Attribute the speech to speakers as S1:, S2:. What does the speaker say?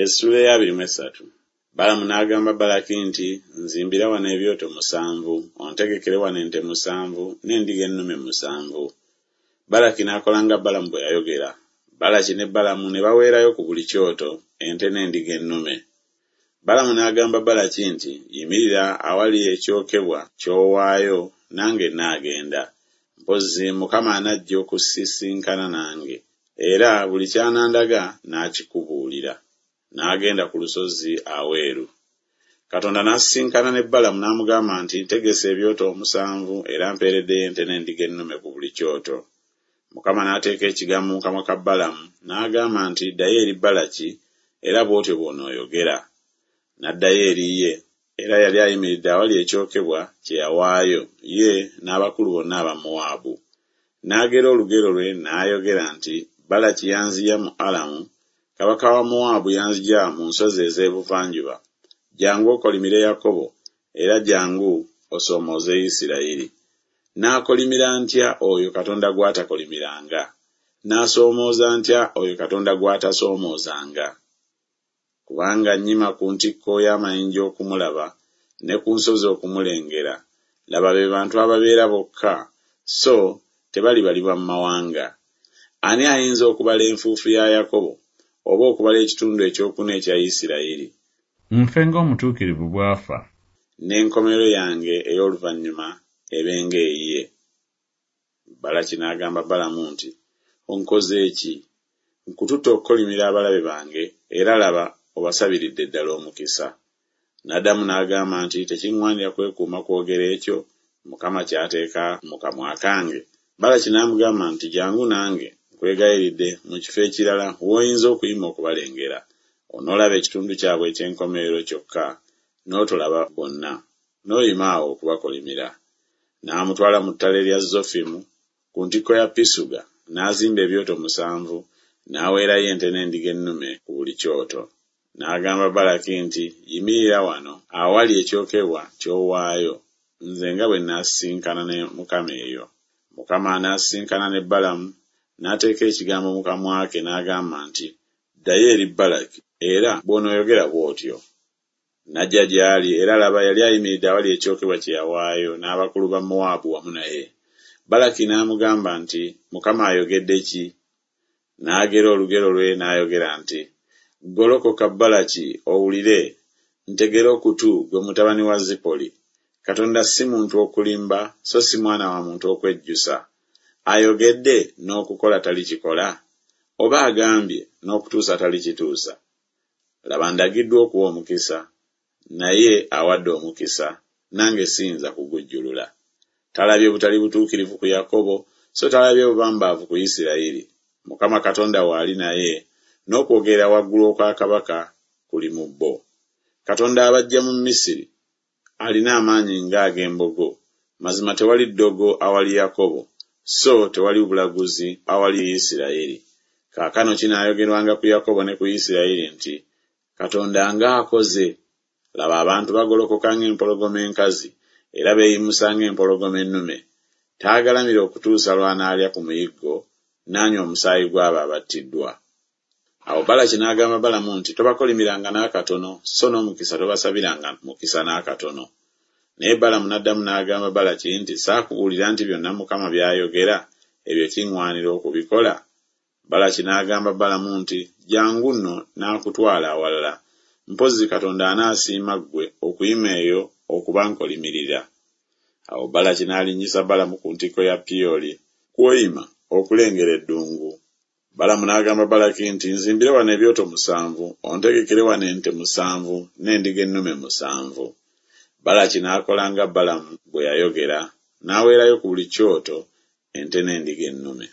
S1: Essuula ey'abiri mu esatu. Balamu n'agamba Balaki nti, Nzimbira wano ebyoto musanvu, ontegekere wano ente musanvu n'endiga ennume musanvu. Balaki n'akola nga Balamu bwe yayogera. Balaki ne Balamu ne baweerayo ku buli kyoto ente n'endiga ennume. Balamu n'agamba Balaki nti, Yimirira awali ekyokebwa ky'owaayo, nange nnaagenda. Mpozzi Mukama anajja okusisinkana nange, era buli ky'anandaga nnaakikubuulira. N'agenda ku lusozi aweeru. Katonda n'asisinkana ne Balamu n'amugamba nti, Ntegese ebyoto omusanvu era mpeereddeyo ente n'endiga ennume ku buli kyoto. Mukama n'ateeka ekigambo mu kamwa ka Balamu, n'agamba nti, Ddayo eri Balaki, era bw'otyo bw'onooyogera. N'addayo eri ye, era yali ayimiridde awali ekyokebwa kye yawaayo, ye n'abakulu bonna aba Mowaabu. N'agera olugero lwe n'ayogera nti, Balaki yanzigya mu Alamu, kabaka wa Mowaabu yanzigya mu nsozi ez'ebuvanjuba. Jjangu okolimire Yakobo, era jjangu osoomooze Isirayiri. Naakolimira ntya oyo Katonda gw'atakolimiranga? Naasoomooza ntya oyo Katonda gw'atasoomoozanga? Kubanga nnyima ku ntikko y'amayinja okumulaba, ne ku nsozi okumulengera. Laba be bantu ababeera bokka, so tebalibalibwa mu mawanga. Ani ayinza okubala enfuufu ya Yakobo, oba okubala ekitundu ekyokuna ekya Isirayiri?
S2: Nfe ng'omutuukirivu bw'afa.
S1: N'enkomerero yange ey'oluvannyuma ebe ng'eyiye. Balaki n'agamba Balamu nti, Onkoze ki? Nkututte okukolimira abalabe bange, era laba obasabiridde ddala omukisa. N'addamu n'agamba nti, Tekiŋŋwanira kwekuuma kwogera ekyo Mukama ky'ateeka mu kamwa kange. Balaki n'amugamba nti, Jjangu nange, nkwegayiridde, mu kifo ekirala w'oyinza okuyima okubalengera. Onoolaba ekitundu kyabwe eky'enkomerero kyokka, n'otolaba bonna. N'oyima awo okubakolimira. N'amutwala mu ttale lya Zofimu, ku ntikko ya Pisuga, n'azimba ebyoto musanvu, n'aweerayo ente n'endiga ennume ku buli kyoto. N'agamba Balaki nti, Yimirira wano awali ekyokebwa ky'owaayo, nze nga bwe nnaasisinkana ne Mukama eyo. Mukama n'asisinkana ne Balamu, n'ateeka ekigambo mu kamwa ke n'agamba nti, Ddayo eri Balaki, era bw'onooyogera bw'otyo. N'ajja gy'ali, era laba, yali ayimiridde awali ekyokebwa kye yawaayo, n'abakulu ba Mowaabu wamu naye. Balaki n'amugamba nti, Mukama ayogedde ki? N'agera olugero lwe n'ayogera nti, Golokoka Balaki, owulire, ntegera okutu, ggwe mutabani wa Zipoli. Katonda si muntu okulimba, so si mwana wa muntu okwejjusa. Ayogedde, n'okukola talikikola? Oba agambye, n'okutuusa talikituusa? Laba ndagiddwa okuwa omukisa, naye awadde omukisa, nange siyinza kugujjulula. Talabye butali butuukirivu ku Yakobo, so talabye bubambaavu ku Isirayiri. Mukama Katonda we ali naye, n'okwogerera waggulu okwa kabaka kuli mu bo. Katonda abaggya mu Misiri, alina amaanyi ng'ag'embogo. Mazima tewali ddogo awali Yakobo, so tewali bulaguzi awali Isirayiri. Kaakano kinaayogerwanga ku Yakobo ne ku Isirayiri nti, Katonda ng'akoze! Laba abantu bagolokoka ng'empologoma enkazi, era beeyimusa ng'empologoma ennume. Taagalamira okutuusa lw'anaalya ku muyiggo, n'anywa omusaayi gw'abo abattiddwa. Awo Balaki n'agamba Balamu nti, Tobakolimiranga n'akatono, so n'omukisa tobasabiranga mukisa n'akatono. Naye Balamu n'addamu n'agamba Balaki nti, Saakubuulira nti byonna Mukama by'ayogera, ebyo kiŋŋwanira okubikola? Balaki n'agamba Balamu nti, Jjangu nno nnaakutwala awalala, mpozzi Katonda anaasiima ggwe okuyima eyo okubankolimirira. Awo Balaki n'alinnyisa Balamu ku ntikko ya Piyoli, kw'oyima okulengera eddungu. Balamu n'agamba Balaki nti, Nzimbira wano ebyoto musanvu, ontegekere wano ente musanvu n'endiga ennume musanvu. Balaki n'akola nga Balamu bwe yayogera, n'aweerayo ku buli kyoto ente n'endiga ennume.